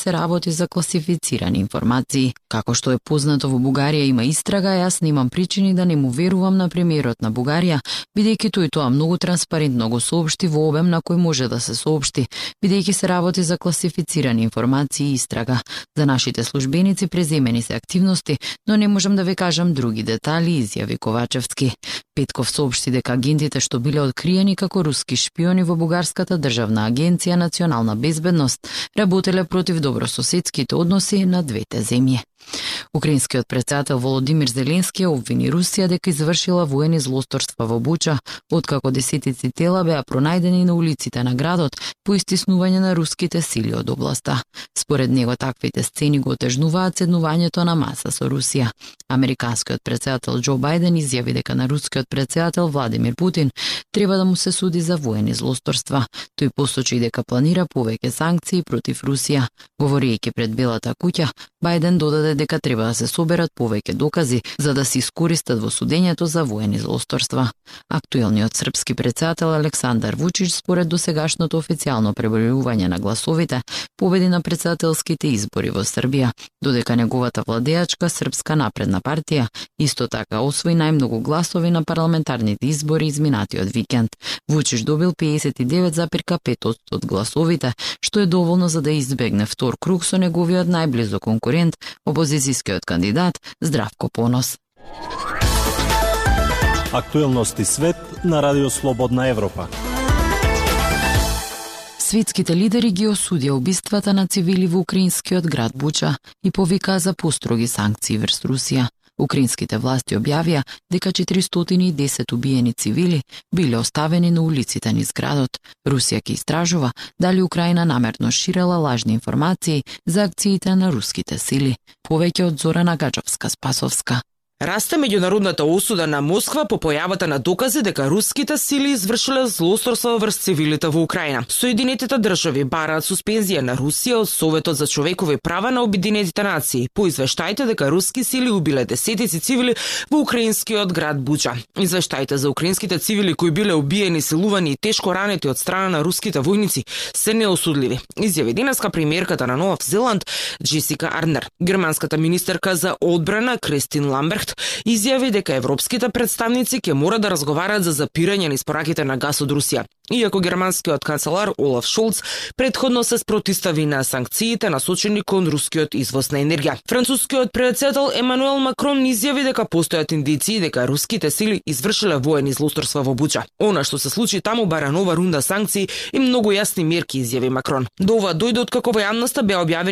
се работи за класифицирани информации. Како што е познато, во Бугарија има истрага, јас немам причини да не му верувам на премиерот на Бугарија, бидејќи тој тоа многу транспарентно го соопшти во обем на кој може да се соопшти, бидејќи се работи за класифицирани информации и истрага. За нашите службеници преземени се активности, но не можам да ве кажам други детали, изјави Ковачевски. Петков соопшти дека агентите што биле откриени како руски шпиони во бугарската државна агенција Национална безбедност работеле против добрососедските односи на двете земји. Украинскиот председател Володимир Зеленски обвини Русија дека извршила воени злосторства во Буча, откако десетици тела беа пронајдени на улиците на градот по истиснување на руските сили од областа. Според него таквите сцени го отежнуваат седнувањето на маса со Русија. Американскиот председател Џо Бајден изјави дека на рускиот председател Владимир Путин треба да му се суди за воени злосторства. Тој посочи дека планира повеќе санкции против Русија. Говорејќи пред Белата куќа, Бајден додаде дека треба да се соберат повеќе докази за да се искористат во судењето за воени злосторства. Актуелниот српски председател Александар Вучич, според досегашното официјално пребројување на гласовите, победи на председателските избори во Србија, додека неговата владеачка Српска напредна партија исто така освои најмногу гласови на парламентарните избори изминатиот викенд. Вучич добил 59,5% од гласовите, што е доволно за да избегне втор круг со неговиот најблизок конкурент, опозицијскиот кандидат Здравко Понос. Актуелности свет на Радио Слободна Европа. Светските лидери ги осудија убиствата на цивили во украинскиот град Буча и повикаа за построги санкции врз Русија. Украинските власти објавија дека 410 убиени цивили биле оставени на улиците низ градот. Русија ќе истражува дали Украина намерно ширела лажни информации за акциите на руските сили. Повеќе од Зорана Гаџовска-Спасовска. Расте меѓународната осуда на Москва по појавата на докази дека руските сили извршиле злосторства врз цивилите во Украина. Соединетите држави бараат суспензија на Русија од Советот за човекови права на Обединетите нации по извештаите дека руски сили убиле десетици цивили во украинскиот град Буча. Извештаите за украинските цивили кои биле убиени, силувани и тешко ранети од страна на руските војници се неосудливи, изјави денеска премиерката на Нов Зеланд Джесика Арнер. Германската министерка за одбрана Кристин Ламберт изјави дека европските представници ќе мора да разговараат за запирање на испораките на газ од Русија. Иако германскиот канцелар Олаф Шолц претходно се спротивстави на санкциите насочени кон рускиот извоз на енергија. Францускиот председател Емануел Макрон изјави дека постојат индиции дека руските сили извршиле воени злосторства во Буча. Она што се случи таму бара нова рунда санкции и многу јасни мерки, изјави Макрон. До ова дојде откако во јавноста беа објавени